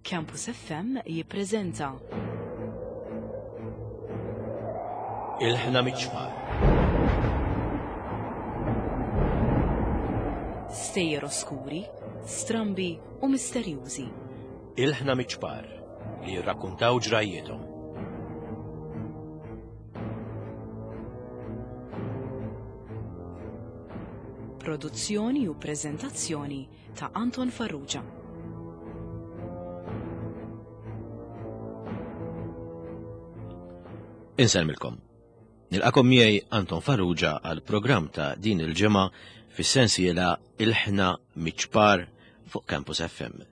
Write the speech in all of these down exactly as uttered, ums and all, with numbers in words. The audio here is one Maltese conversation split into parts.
Campus F M jippreżenta Ilħna Miċ-Ċpar. Stejjer oskuri, strambi u misterjużi. Ilħna Miċ-Ċpar li jirrakkuntaw ġrajjietom. Produzzjoni u preżentazzjoni ta' Anton Farrugia. Insellmilkom. Nilqakom miegħi Anton Farrugia għal programm ta' din il-ġimgħa fis-sensiela Ilħna Miċ-Ċpar fuq Campus F M.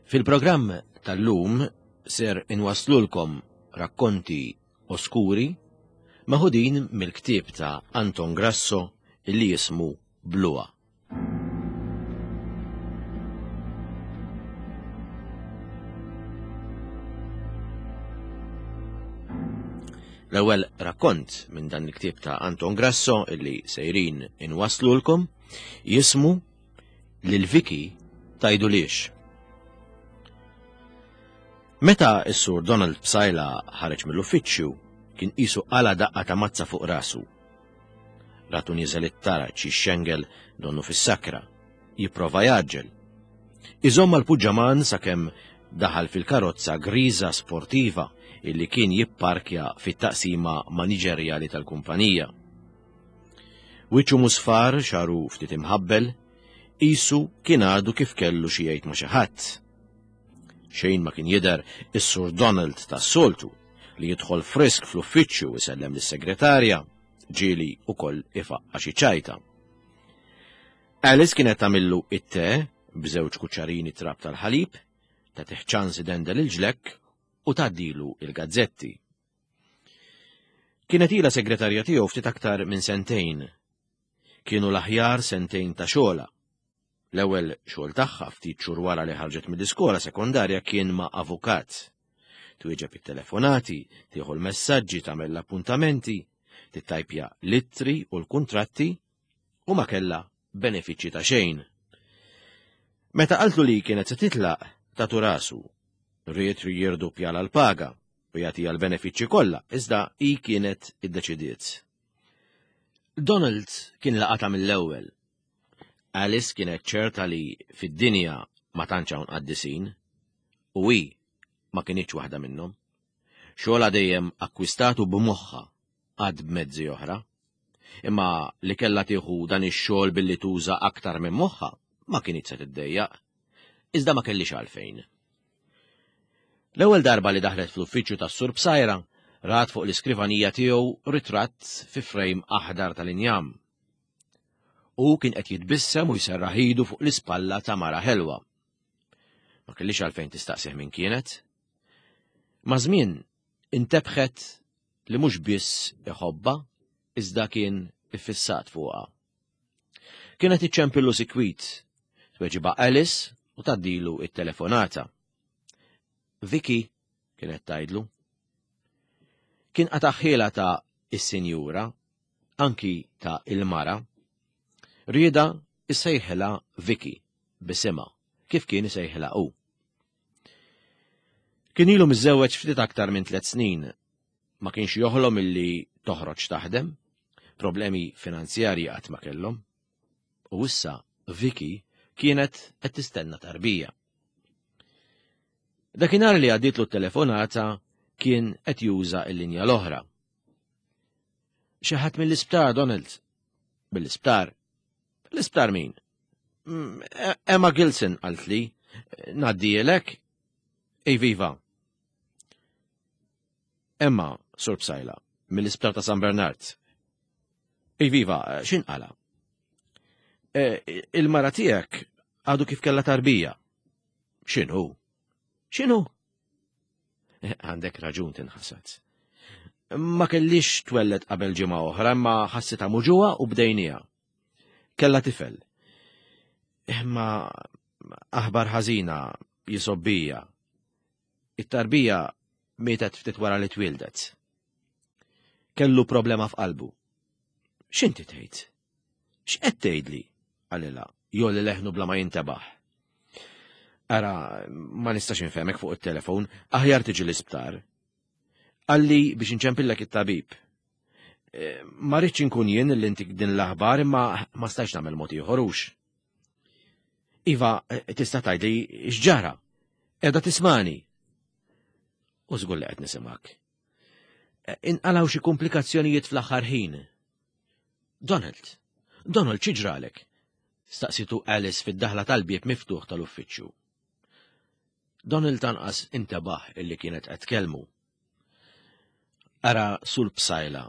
Fil-programm tal-lum ser inwaslulkom rakkonti oskuri maħudin mill-ktieb ta' Anton Grasso illi jismu Bluha. L-ewwel rakkont minn dan il-ktieb ta' Anton Grasso illi sejrin inwaslulkom jismu Lil Vicky tajdu liex. Meta s-sur Donald Psaila ħareġ mill-uffiċċju, kien qisu qala daqqa ta' mazza fuq rasu. Ratu nieżel it-taraġ jixxengel donnu fis-sakra, jipprova jaġġel. Iżomm mal-puġġaman sakemm daħal fil-karozza griża sportiva illi kien jipparkja fit-taqsima maniġerjali tal-kumpanija. Wiċċu musfar, xaru ftit imħabbel, qisu kien għadu kif kellu xi jgħid ma' xi ħadd. Xejn ma kien jidher is-Sur Donald tas-soltu li jidħol frisk fl-uffiċċju u jsellem lis-segretarja, ġieli ukoll ifaqqa xi ċajta. Alice kienet tagħmillu it-te b'żewġ kuċċarini trab tal-ħalib, ta' tiħ ċans idendel il-ġlekk u tgħaddilu il-gazzetti. Kienet ilha segretarja tiegħu ftit aktar minn sentejn. Kienu l-aħjar sentejn ta' xogħla. L-ewwel xogħol tagħha ftit xhur wara li ħarġet mill-iskola sekondarja kien ma' avukat. Twieġeb it-telefonati, tieħu l-messaġġi, tagħmel l-appuntamenti, tittajpja l-ittri u l-kuntratti u ma kellha benefiċċji ta' xejn. Meta qaltlu li kienet se titlaq, tatu rasu. Ried jirdoppja l-paga u jagħtiha l-benefiċċji kollha, iżda hi kienet iddeċidiet. Donald kien laqata mill-ewwel. Alice kienet ċerta li fid-dinja ma tantx hawn qaddisin u hi ma kinitx waħda minnhom. Xogħolha dejjem akkwistatu b'moħħha għad b'mezzi oħra. Imma li kellha tieħu dan ix-xogħol billi tuża aktar minn moħħha ma kinitx se tiddejjaq. Iżda ma kellix għalfejn. L-ewwel darba li daħlet fl-uffiċċju tas-Sur Psaila, rat fuq l-iskrivanija tiegħu ritratt fi frame aħdar tal-injam. U kien qed jitbissem u jserraħ idu fuq l-ispalla ta' mara ħelwa. Ma kellix għalfejn tistaqsih min kienet. Ma' żmien intebħet li mhux biss iħobbha, iżda kien iffissat fuqha. Kienet iċċempillu sikwit, tweġiba Alice u tgħaddilu it-telefonata. Vicky, kienet tgħidlu. Kien qataħħiela ta' is-sinjura, anki ta' il-mara. Rieda issejħilha Vicky bisimha, kif kien isejħilha hu. Kien ilu miżżewweġ ftit aktar minn tliet snin. Ma kienx joħlom illi toħroġ taħdem, problemi finanzjarji qatt ma kellhom. U issa Vicky kienet qed tistenna tarbija. Dakinhar li għaddietlu t-telefonata kien qed juża l-linja l-oħra. Xi ħadd mill-isptar, Donald? Mill-isptar? L-isptar min? Mm, E-, Emma Gilson qaltli. Ngħaddielek? Ej viva. Emma, Sur Psaila, mill-isptar ta' San Bernard. Ej viva, x'inqala? E, il-mara tiegħek għadu kif kellha tarbija. X'inhu? X'inhu? E, għandek raġun tinħasad. Ma kellix twellet qabel ġimgħa oħra, imma ħassitha muġugħa u bdejniha. Kellha tifel. Imma aħbar ħażina jisobbija. It-tarbija mietet ftit wara li twildet. Kellu problema f'qalbu. X'inti tgħid? X'qed tgħidli? Qalilha, jolli leħnu bla ma jintebaħ. Ara, ma nistax infehmek fuq it-telefon, aħjar tiġi l-isptar. Qalli biex inċempillek it-tabib. Eh, ma rridx inkun jien li ntik din l-aħbar imma ma stajtx nagħmel mod ieħor hux. Iva, eh, tista' tgħidli x'ġara? Qiegħda tismani. U żgur li qed nisimgħek. Eh, inqalgħu xi komplikazzjonijiet fl-aħħar ħin. Donald, Donald xi ġralek? Staqsitu Alice fid-daħla tal-bieb miftuħ tal-uffiċċju. Donald anqas intebaħ illi kienet qed tkellmu. Ara sul psajla,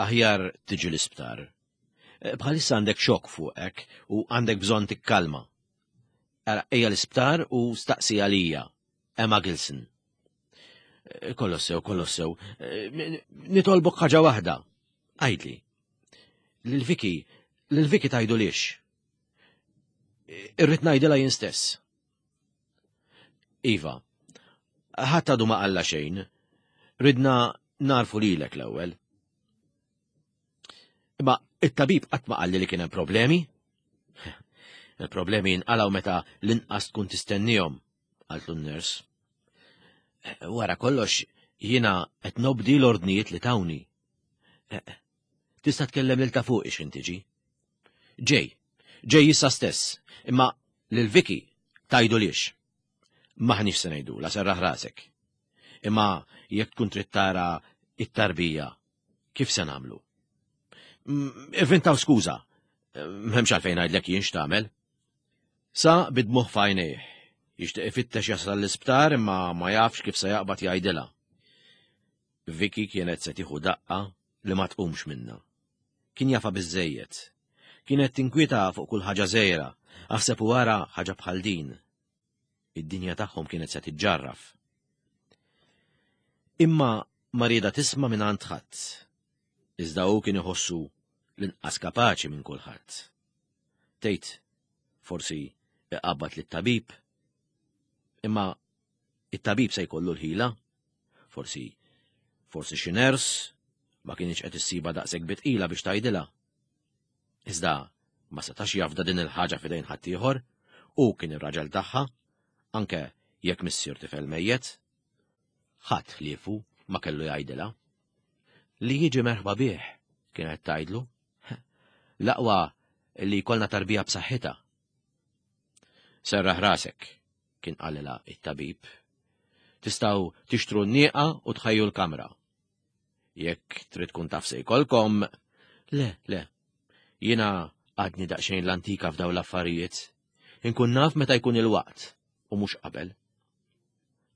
aħjar tiġi l-isptar. Eh, bħalissa għandek xokk fuqek u għandek bżonn tikkalma. Ara ejja l-isptar u staqsi għalija, Emma Gilson. Eh, kollox sew, kollox sew. Eh, nitolbok ħaġa waħda. Għidli. Lil Vicky, lil Vicky tgħidulhiex. Irrid ngħidilha jien stess. Iva, ħadd għadu ma qalla xejn, ridna ngħarrfu lilek l-ewwel. Imma it-tabib qatt ma qalli li kien hemm problemi? Il-problemi jinqalgħu meta l-inqas tkun tistennihom, qaltlu n-ners. Wara kollox jiena qed nobdi l-ordnijiet li tawni. Tista' tkellem lil ta' fuq ix tiġi. Ġej, ġej issa stess, imma lil Vicky tgħidulhiex. M'aħniex se ngħidulha serraħ rasek. Imma jekk tkun trid tara it-tarbija, kif se nagħmlu? Ivvintaw skuża, m'hemmx għalfejn ngħidlek jien x'tagħmel. Sa bid-dmugħ f'għajnejh, jixtieq ifittex jasal l-isptar imma ma jafx kif se jaqbad jgħidilha. Vicky kienet se tieħu daqqa li ma tqumx minna. Kien jafha biżejjed. Kienet tinkwieta fuq kull ħaġa żgħira, aħseb u wara ħaġa bħal din. Id-dinja tagħhom kienet se tiġġarraf. Imma ma rieda tisma' minn għand ħadd. Iżda hu kien iħossu l-inqas kapaċi minn kulħadd. Tgħid, forsi iqabbad lit-tabib. Imma it-tabib se jkollu l-ħila? Forsi, forsi xi ners ma kienx qed issibha daqshekk bi tqila biex tgħidilha. Iżda ma setax jafda din il-ħaġa f'idejn ħaddieħor, hu kien ir-raġel tagħha, anke jekk missier tifel mejjet. Ħadd ħliefu ma kellu jgħidilha. Li jiġi merħba bih, kienet tgħidlu. L-aqwa li jkollna tarbija b'saħħitha. Serraħ rasek, kien qalilha it-tabib. Tistgħu tixtru n-nieqa u tħejju l-kamra. Jekk trid tkun taf se jkollkom, le, le, jiena għadni daqsxejn l-antika f'daw l-affarijiet. Inkun naf meta jkun il-waqt u mhux qabel.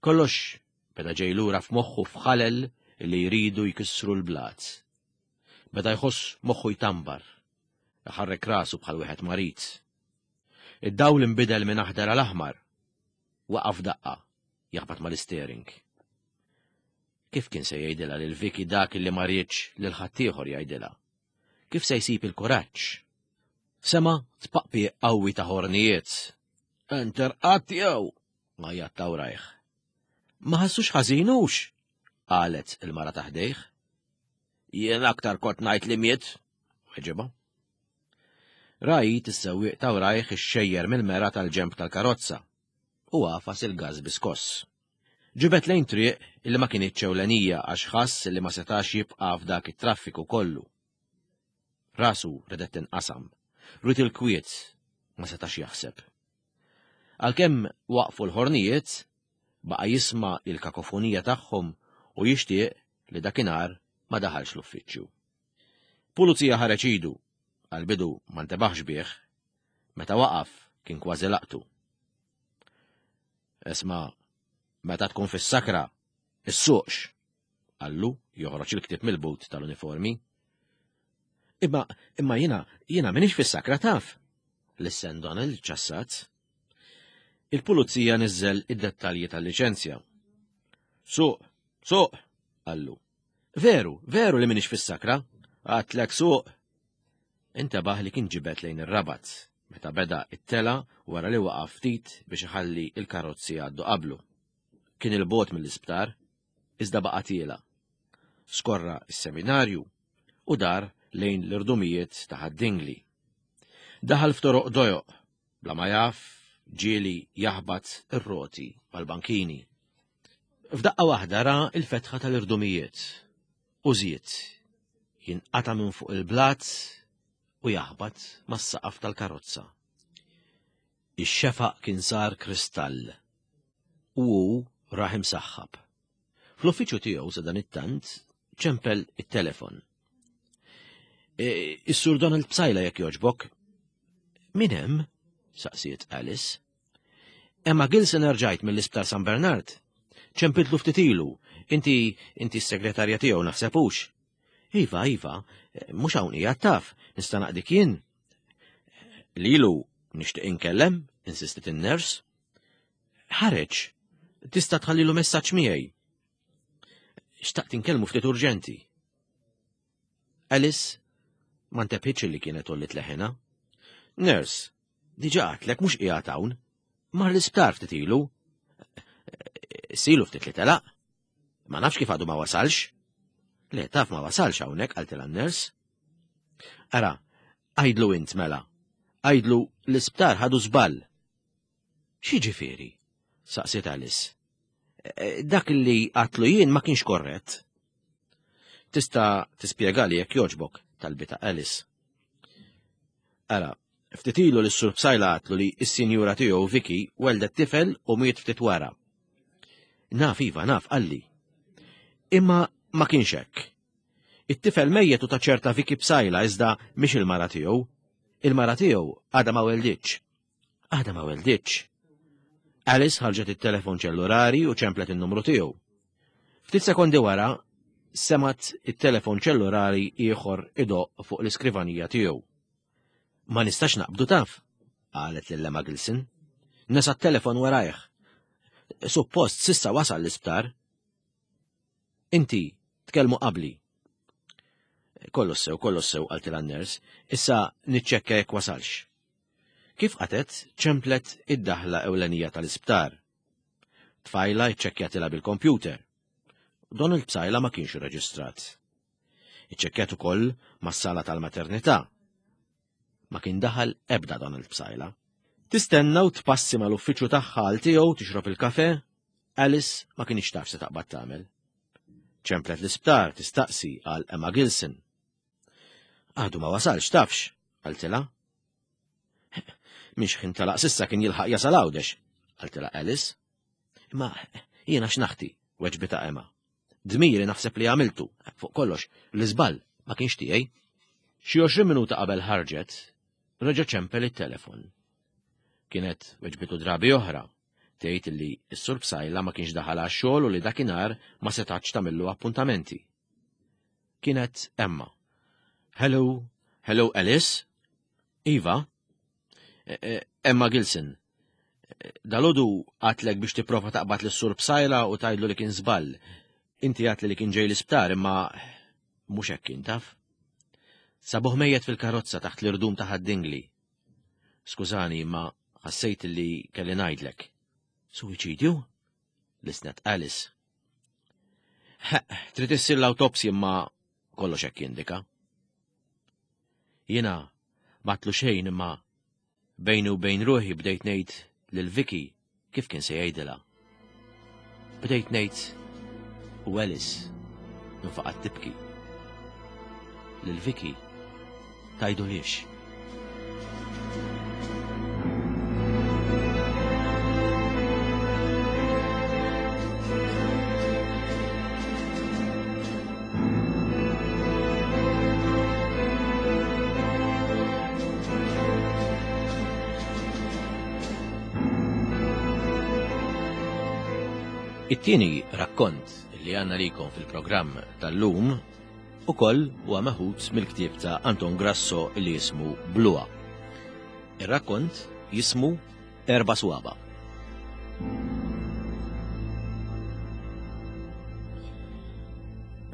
Kollox beda ġej lura f'moħħu f'ħalel li jridu jkissru l-blat. Beda jħoss moħħu jtambar, iħarrek rasu bħal wieħed marid. Id-dawl inbidel minn aħdar għal aħmar. Waqaf daqqa, jaħbat mal-istering. Kif kien se jgħidilha lil Vicky dak li ma riedx lil ħaddieħor jgħidilha? Kif se jsib il-kuraġġ? Sema' tpaqpiq qawwi ta' ħornijiet. Enter qatt jew, għajjat ta' warajh. Ma ħassux ħażin hux, qalet il-mara ta' ħdejh. Jien aktar kont ngħid li miet, weġibha. Ra id is-sewwieq ta' warajh ixxejjer mill-mera tal-ġemp tal-karozza u għafas il-gas bi skoss. Ġibed lejn triq illi ma kinitx ewlenija għax ħass li ma setax jibqa' f'dak it-traffiku kollu. Rasu redet tinqasam, ried il-kwiet ma setax jaħseb. Għalkemm waqfu l-ħornijiet, baqa' jisma' il-kakofonija tagħhom u jixtieq li dakinhar ma daħalx l-uffiċċju. Pulizija ħareġ idu, għal-bidu ma ntebaħx bih, meta waqaf kien kważi laqtu. Isma', meta tkun fis-sakra, issuqx, qallu joħroġ il-ktieb mill-but tal-uniformi. Imma, imma jiena, jiena m'iniex fis-sakra taf. Lissen Donald ċassat. Il-pulizija niżel id-dettalji tal-liċenzja. Suq, suq, qallu. Veru, veru li m'iniex fis-sakra, għedtlek suq. Intebaħ li kien ġibed lejn ir-Rabat, meta beda it-tela wara li waqaf ftit biex iħalli il-karozzi għaddu qablu. Kien 'il bogħod mill-isptar, iżda baqa' tiela'. Skorra is-seminarju u dar lejn l-irdumijiet ta' Ħad-Dingli. Daħal f'toroq dojoq, bla ma jaf Ġieli jaħbat ir-roti mal-bankini. F'daqqa waħda ra il-fetħa tal-irdumijiet u żied jinqata' minn fuq il-blat u jaħbat mas-saqaf tal-karozza. Ix-xefaq kien sar kristall u hu rah imsaħħab. Fl-uffiċċju tiegħu sa dan it-tant ċempel it-telefon. E, Is-Sur Donald Psaila jekk jogħġbok. Min hemm? Saqsiet Alice. Emma Gilson erġajt mill-Isptar San Bernard. Ċempiltlu ftit ilu. Inti inti s-segretarja tiegħu naħseb hux. Iva, iva, mhux hawn qiegħed taf, nista' naqdik jien. Lilu nixtieq inkellem, insistit in-ners. Ħareġ, tista' tħallilu messaġġ miegħi. Xtaqt inkellmu ftit urġenti. Alice ma ntebħitx li kienet għolliet leħinha. Nurse, diġà għedtlek mhux qiegħed hawn. Mar l-isptar ftit ilu. Ilu ftit li telaq. Ma nafx kif għadu ma wasalx. Le, taf ma wasalx hawnhekk, qaltilha n-nurse. Ara, għidlu int mela. Għidlu l-isptar ħadu żball. X'jiġifieri? Saqsiet Alice. E, dak li għedtlu jien ma kienx korrett. Tista' tispjegali jekk jogħġbok, talbitha Alice. Ara, ftit ilu lis-Sur Psaila għedtlu li s-sinjura tiegħu Vicky weldet tifel u miet ftit wara. Naf iva, naf, qalli. Imma ma kienx hekk. It-tifel mejjet hu ta' ċerta Vicky Psaila iżda mhix il-mara tiegħu. Il-mara tiegħu għadha ma welditx. Għadha ma welditx. Alice ħarġet it-telefon ċellulari u ċemplet in-numru tiegħu. Ftit sekondi wara, semgħet it-telefon ċellulari ieħor idoqq fuq l-iskrivanija tiegħu. Ma nistax naqbdu taf, qalet lil Emma Gilson. Nesa t-telefon warajh. Suppost s'issa wasal l-isptar. Inti, tkellmu qabli. Kollox sew, kollox sew, qaltilha n-ners, issa niċċekkja jekk wasalx. Kif qatet, ċemplet id-daħla ewlenija tal-isptar. Tfajla iċċekkjatilha bil-kompjuter. Donald Psaila ma kienx reġistrat. Iċċekkjat ukoll mas-sala tal-maternità. Ma kien daħal ebda Donald Psaila. Tistenna u tpassi mal-uffiċċju tagħha għal tiegħu tixrob il-kafe, Alice ma kienx taf se taqbad tagħmel. Ċemplet l-isptar tistaqsi għal Emma Gilson. Għadu ma wasalx tafx, qaltilha. Mhix ħin talaq s'issa kien jilħaq jasal Għawdex, qaltilha Alice. Imma jiena x'naħti, weġbitha Emma. Dmiri naħseb li għamiltu, fuq kollox, l-iżball ma kienx tiegħi. Xi għoxrin minuta qabel ħarġet, reġa' ċempel it-telefon. Kienet weġbitu drabi oħra, tgħid li s-Sur Psaila ma kienx daħal għax-xogħol u li dakinhar ma setax tagħmillu appuntamenti. Kienet Emma. Hello, hello Alice? Iva? E, e, Emma Gilson. Dalgħodu għedtlek biex tipprova taqbad lis-Sur Psaila u tgħidlu li kien żball. Inti għedtli li kien ġej l-isptar imma mhux hekk kien taf. Sabuh mejjet fil-karozza taħt l-irdum ta' Ħad-Dingli. Skużani, imma ħassejt li kelli ngħidlek. Suwiċidju? Lissnet Alice. Trid issir l-awtopsja imma kollox hekk jindika. Jiena m'għedtlu xejn imma bejni u bejn ruħi bdejt ngħid lil Vicky kif kien se jgħidilha. Bdejt ngħid u Alice infaqat tibki. Lil Vicky tgħidulhiex. It-tieni rakkont li għandna likom fil-programm tal-lum ukoll huwa meħud mill-ktieb ta' Anton Grasso li jismu Bluha. Ir-rakkont jismu Erba' Swaba.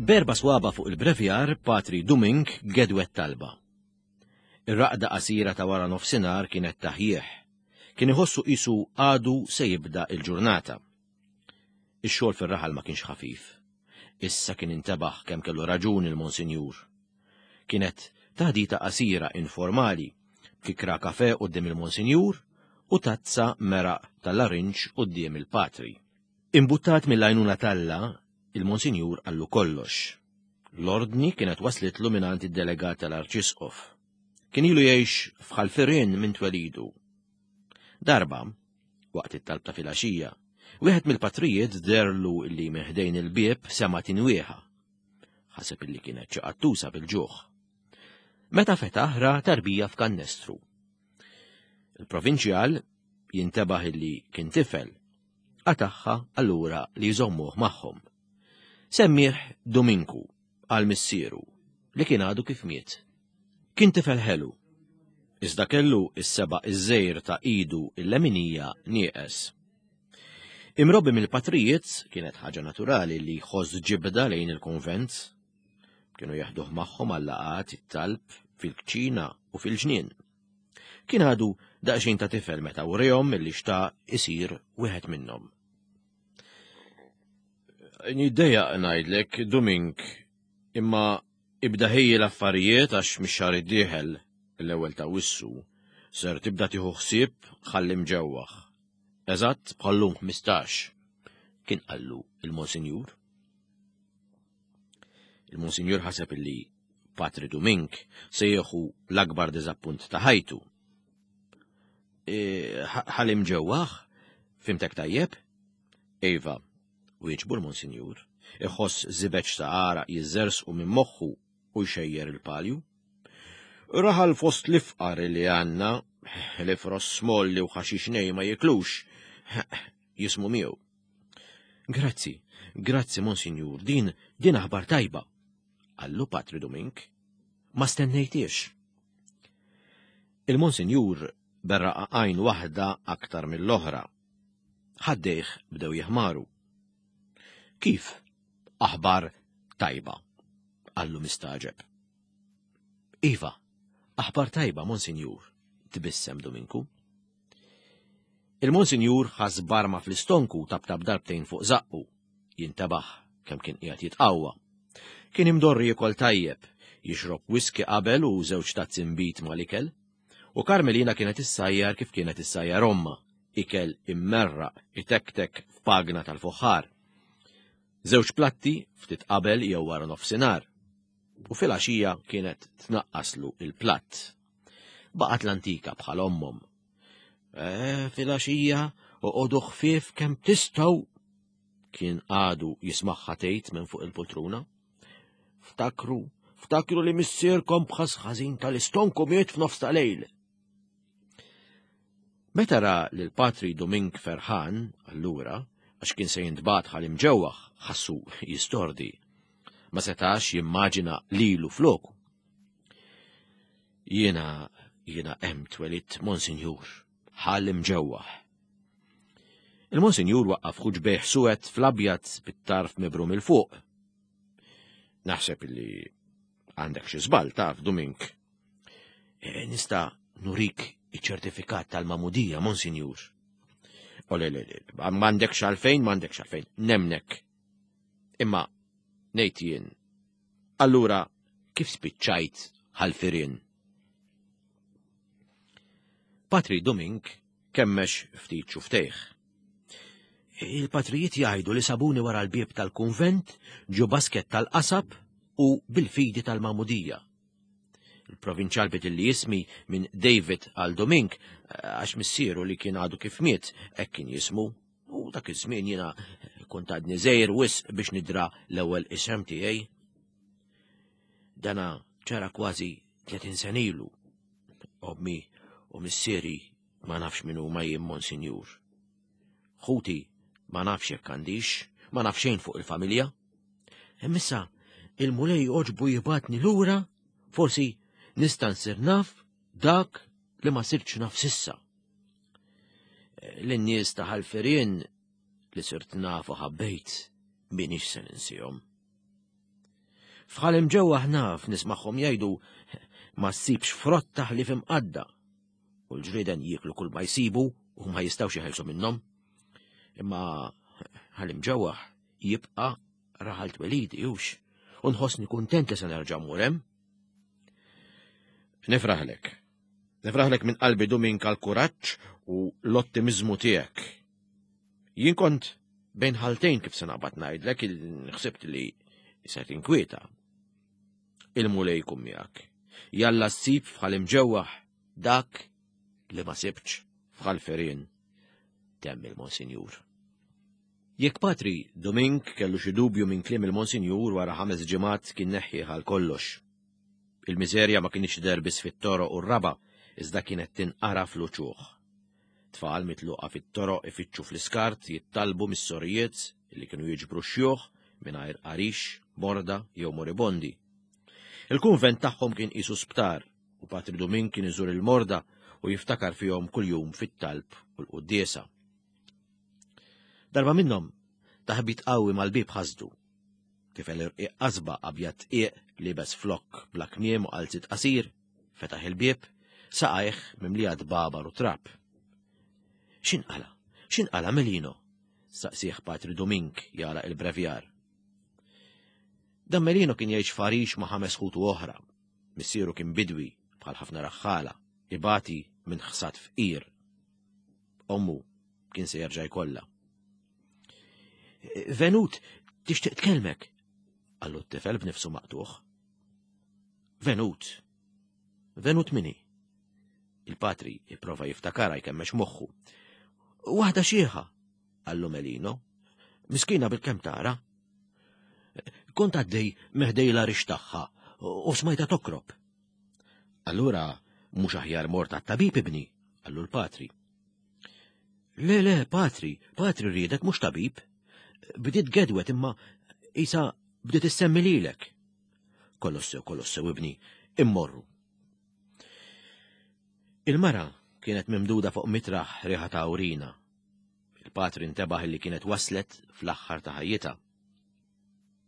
B'erba' swaba fuq il-brevjar, Patri Dumink gedwet talba. Ir-raqda qasira ta' wara nofsinhar kienet taħjieħ. Kien iħossu qisu għadu se jibda il-ġurnata. Ix-xogħol fir-raħal ma kienx ħafif. Issa kien intebaħ kemm kellu raġun il-Monsinjur. Kienet taħdita qasira informali, b'kikra kafe quddiem il-Monsinjur u tazza meraq tal-larinġ quddiem il-patri. Imbuttat mill-għajnuna t'Alla, il-Monsinjur qallu kollox. L-ordni kienet waslitlu mingħand id-delegat tal-Arċisqof. Kien ilu jgħix f'Ħal Firien minn twelidu. Darba, waqt it-talb ta' filgħaxija, wieħed mill-patrijiet deherlu illi minn ħdejn il-bieb sema' tinwieħa. Ħaseb illi kienet xi qattusa bil-ġuħ. Meta fetaħ ra tarbija f'kannestru. Il-provinċjal jintebaħ illi kien tifel, qatagħha allura li jżommuh magħhom. Semmih Dominku għal missieru li kien għadu kif miet. Kien tifel ħelu, iżda kellu is-seba' iż-żgħir ta' idu il-leminija nieqes. Imrobbi mill-patrijiet kienet ħaġa naturali li jħoss ġibda lejn il-konvent. Kienu jeħduh magħhom għal-laqgħat it-talb fil-kċina u fil-ġnien. Kien għadu daqsxejn ta' tifel meta wrihom illi xtaq isir wieħed minnhom. Niddejjaq ngħidlek, Domink, imma ibda ħejji l-affarijiet għax mix-xahar id-dieħel, l-ewwel ta' Awwissu, ser tibda tieħu ħsieb Ħal Imġewwaħ. Eżatt bħallum ħmistax, kien qallu il-Monsinjur. Il-Monsinjur ħaseb illi Patri Domink se jieħu l-akbar diżappunt ta' ħajtu. E, Ħal Imġewwaħ, fhimtek tajjeb? Iva, wieġbu l-Monsinjur, iħoss żibeġ ta' għaraq jiżżerżqu minn moħħu u jxejjer il-palju. Raħal fost l-ifqar li għandna, li fross molli u ħaxix nej ma jiklux, jismu miegħu. Grazzi, grazzi, Monsinjur, din, din aħbar tajba, qallu Patri Domink. Ma stennejtix. Il-Monsinjur berraqa għajn waħda aktar mill-oħra. Ħaddejh bdew jeħmaru. Kif? Aħbar tajba, qallu mistagħġeb. Iva, aħbar tajba, Monsinjur, tbissem Dominku. Il-Monsinjur ħass barma fl-istonku tabtab darbtejn fuq zaqqu, jintebaħ kemm kien qiegħed jitqawwa. Kien imdorri jiekol tajjeb, jixrob whisky qabel u żewġ tazzi nbid mal-ikel, u Karmelina kienet issajjar kif kienet issajjar ommha, ikel immerraq itektek f'pagna tal-fuħħar. Żewġ platti ftit qabel jew wara nofsinhar, u fil-għaxija kienet tnaqqaslu il-platt. Baqgħet l-antika bħal ommhom. E, fil-għaxija oqogħdu ħfief kemm tistgħu, kien għadu jismagħha tgħid minn fuq il-poltruna. Ftakru, ftakru li missierkom b'ħass ħażin tal-istonku miet f'nofs ta' lejl. Meta ra lil Patri Domink ferħan, allura, għax kien se jintbagħat Ħal Imġewwaħ, ħassu jistordi. Ma setax jimmaġina lilu floku. Jiena, jiena hemm twelidt, Monsinjur, Ħal Imġewwaħ. Il-Monsinjur waqqaf ħuġbejh suwed fl-abjad bit-tarf mibrum 'il fuq. Naħseb illi għandek xi żball taf, Domink. E, nista' nurik iċ-ċertifikat tal-magħmudija, Monsinjur. O le, le, le, m'għandekx għalfejn, m'għandekx għalfejn, nemnek. Imma, ngħid jien, allura kif spiċċajt Ħal Firien? Patri Domink kemmex ftit xuftejh. Il-patrijiet jgħidu li sabuni wara l-bieb tal-kunvent ġo basket tal-qasab u bil-fidi tal-magħmudija. Il-provinċjal bidilli ismi minn David għal Domink għax missieru li kien għadu kif miet hekk kien jismu. U dak iż-żmien jiena kont għadni żgħir wisq biex nidra l-ewwel isem tiegħi. Dana ġara kważi tletin sena ilu. Ommi u missieri ma nafx min huma jien, Monsinjur. Ħuti ma nafx jekk għandix, ma naf xejn fuq il-familja. Imma issa il-Mulej għoġbu jibgħatni lura, forsi nista' nsir naf dak li ma sirtx naf s'issa. Lin-nies ta' Ħal Firien li sirt naf u ħabbejt m'iniex se ninsihom. F'Ħal Imġewwaħ naf nismagħhom jgħidu ma ssibx frotta ħlief imqadda u l-ġrieden jieklu kull ma jsibu u ma jistgħux jeħelsu minnhom. Imma Ħal Imġewwaħ jibqa' raħal twelidi hux u nħossni kuntent li se nerġa' mmur hemm. Nifraħlek. Nifraħlek minn qalbi Domink għal kuraġġ u l-ottimiżmu tiegħek. Jien kont bejn ħaltejn kif se naqbad ngħidlek, ħsibt li se tinkwieta. Il-Mulej jkun miegħek. Jalla ssib f'Ħal Imġewwaħ dak li ma sibtx f'Ħal Ferien, temm il-Monsinjur. Jekk Patri Domink kellu xi dubju minn kliem il-Monsinjur, wara ħames ġimgħat kien neħħieh għal kollox. Il-miżerja ma kinitx tidher biss fit-toroq u r-raba, iżda kienet tinqara fl-uċuħ. Tfal mitluqa fit-toroq ifittxu fl-iskart jittalbu mis-sorijiet li kienu jiġbru xjuħ mingħajr għarix, morda jew moribondi. Il-kunvent tagħhom kien qisu sptar u Patri Domink kien iżur il-morda u jiftakar fihom kuljum fit-talb u l-quddiesa. Darba minnhom taħbit qawwi mal-bib ħasdu. Tifel irqiq qasba abjad tqiq libes flok bla kmiem u qalzit qasir, fetaħ il-bieb, saqajh mimlija dbabar u trab. X'inqala? X'inqala Melino? Saqsih Patri Domink jara il-brevjar. Dan Melino kien jgħix f'għarix ma' ħames ħutu oħra. Missieru kien bidwi bħal ħafna raħħala, ibati minn ħsad fqir. Ommu kien se jerġa' jkollha. Venut, tixtieq tkellmek, qallu t-tifel b'nifsu maqtuħ. Venut. Venut min hi? Il-patri ipprova jiftakara jkemmex moħħu. Waħda xieħa, qallu Melino. Miskina bil-kem tara. Kont għaddej minn ħdejn l-għarix tagħha u smajta tokrob. Allura mhux aħjar mort għat-tabib ibni, qallu l-patri. Le, le, patri, patri riedek mhux tabib. Bdiet gedwet imma isa bdiet issemmi lilek. Kollox sew, kollox sew ibni, immorru. Il-mara kienet mimduda fuq mitraħ riħa ta' awrina. Il-patri intebaħ li kienet waslet fl-aħħar ta' ħajjitha.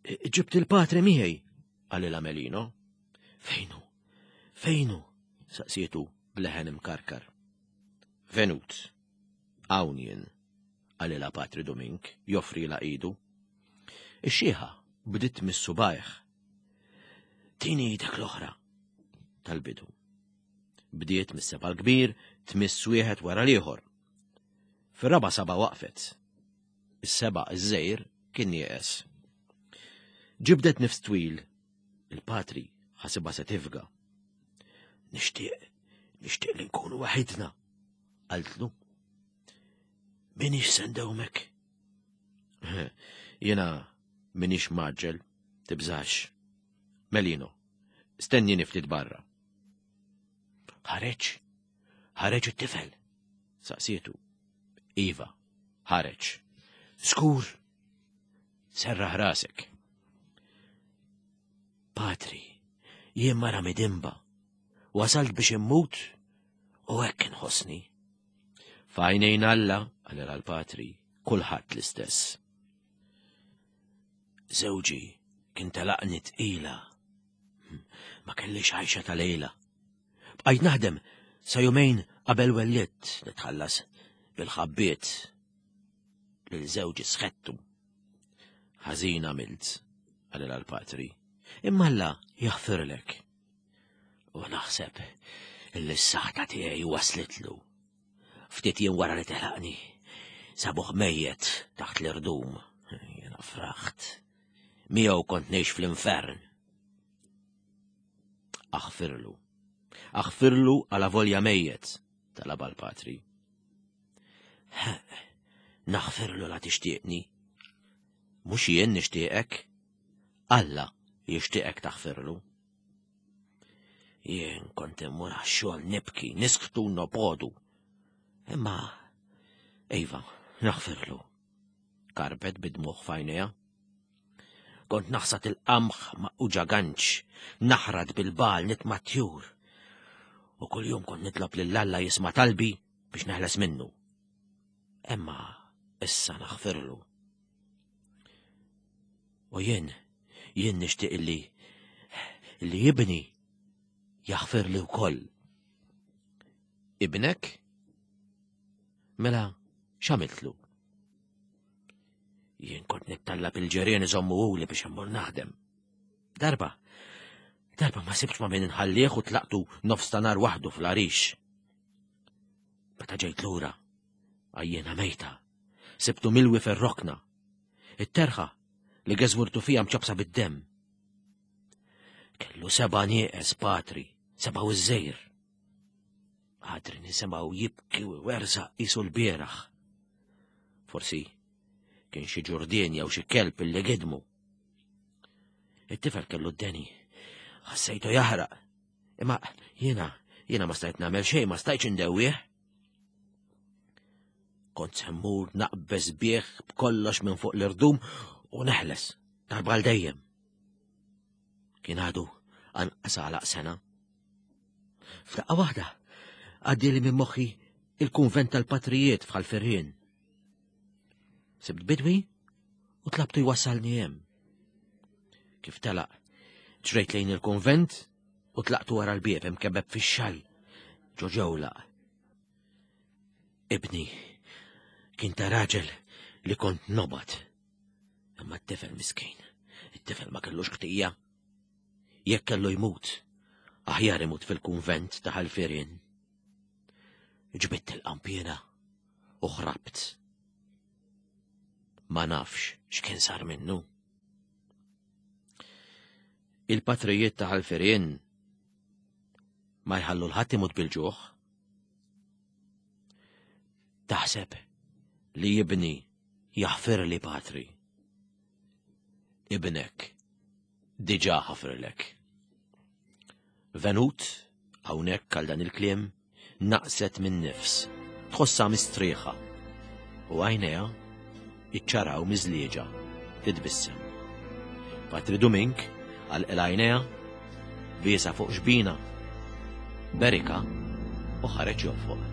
Ġibt il-patri miegħi, qalilha Melino. Fejnu, fejnu, saqsietu bleħen imkarkar. Venut, hawn jien, qalilha Patri Domink, joffrilha idu. Ix-xieħa bdiet tmissu b'subgħajha. Tini idek l-oħra, tal-bidu. Bdiet mis-seba' l-kbir tmiss wieħed wara l-ieħor. Fir-raba' saba' waqfet. Is-seba' iż-żgħir kien nieqes. Ġibdet nifs twil, il-patri ħasibha se tifga. Nixtieq, nixtieq li nkunu waħidna, qaltlu. Minix se ndewmek. Jiena minix mgħaġġel, tibżax. Melino, stennini ftit barra. Ħareġ, ħareġ it-tifel, saqsietu. Iva, ħareġ. Skur, serraħ rasek. Patri, jien mara midinba, wasalt biex immut u hekk inħossni. F'għajnejn Alla, qalilha l-patri, kulħadd l-istess. Żewġi kien telaqni tqila. Ma kellix għajxa ta' lejla. Bqajt naħdem sa jumejn qabel wellidt nitħallas bil-ħabbiet lil żewġi sħettu. Ħażin għamilt, qalilha l-patri, imma Alla jaħfirlek. U naħseb illi s-saħta tiegħi waslitlu. Ftit jiem wara li telaqni, sabuh mejjet taħt l-irdum. Jiena fraħt. Miegħu kont ngħix fl-infern. Aħfirlu. Aħfirlu għala volja mejjet, talabha l-patri. Naħfirlu la tixtieqni. Mhux jien nixtieqek, Alla jixtieqek taħfirlu. Jien kont immur għax-xogħol nibki, nisktu nopodu. Imma, iva, naħfirlu. Karbet bid-dmugħ f'għajnejha. Kont naħsad il-qamħ ma' uġaganċ, naħrad bil-bal nitma' tjur. U kull-jum kont nitlob lil Alla jisma' talbi biex neħles minnu. Imma issa naħfirlu. U jien, jien nixtieq illi illi ibni jaħfirli wkoll. Ibnek? Mela, x'għamiltlu? Jien kont nittallab il-ġirien iżommuhuli biex immur naħdem. Darba, darba ma sibx ma' min inħallih u tlaqtu nofs ta' nhar waħdu fl-għarix. Meta ġejt lura, għajjena mejta, sibtu milwi fir-rokna. It-terħa li geżwirtu fija mċapsa bid-demm. Kellu seba' nieqes patri, seba' u żejr. Għadri nisimgħu jibki u werżaq qisu l-bieraħ. Forsi kien xi ġurdien jew xi kelb illi gidmu. It-tifel kellu d-deni. Ħassejtu jaħraq. Imma jiena, jiena ma stajt nagħmel xejn, ma stajtx indewwih. Kont se mmur naqbeż bih b'kollox minn fuq l-irdum u neħles darba għal dejjem. Kien għadu anqas għalaq sena. F'daqqa waħda għaddieli minn moħħi il-kunvent tal-patrijiet f'Ħal Firien. Sibt bidwi u tlabtu jwassalni hemm. Kif telaq, ġrejt lejn il-kunvent u tlaqtu wara l-bieb imkebbeb fix-xall ġo ġewlaq. Ibni kien ta' raġel li kont nobgħod. Imma t-tifel miskin, it-tifel ma kellux ħtija. Jekk kellu jmut, aħjar imut fil-kunvent ta' Ħal Firien. Ġbidt il-qanpiena u ħrabt. Ma nafx x'kien sar minnu. Il-patrijiet ta' Ħal Firien ma jħallu l-ħadd imut bil-ġuħ. Taħseb li ibni jaħfirli patri. Ibnek diġà ħafirlek. Venut, hawnhekk għal dan il-kliem, naqset minn nifs, tħossha mistrieħa u għajnejha iċċaraw miżlieġa titbissem. Patri Dumink għalqilha għajnejha, biesha fuq xbina, berika u ħareġ jonfoq.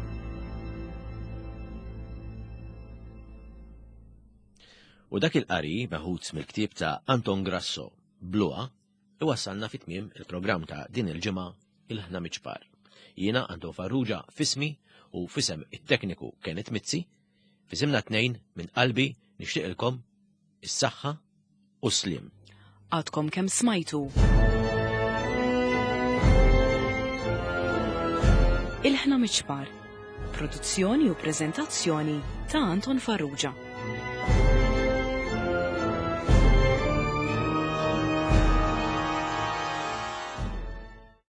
U dak il-qari meħud mill-ktieb ta' Anton Grasso, Bluha, iwassalna fi tmiem il-programm ta' din il-ġimgħa Ilħna Miċpar. Jiena Anton Farrugia fismi u fisem it-tekniku Kenneth Mizzi, fisimna tnejn minn qalbi nixtieqilkom is-saħħa u s-sliem. Għadkom kemm smajtu. Ilħna Miċpar, produzzjoni u preżentazzjoni ta' Anton Farrugia.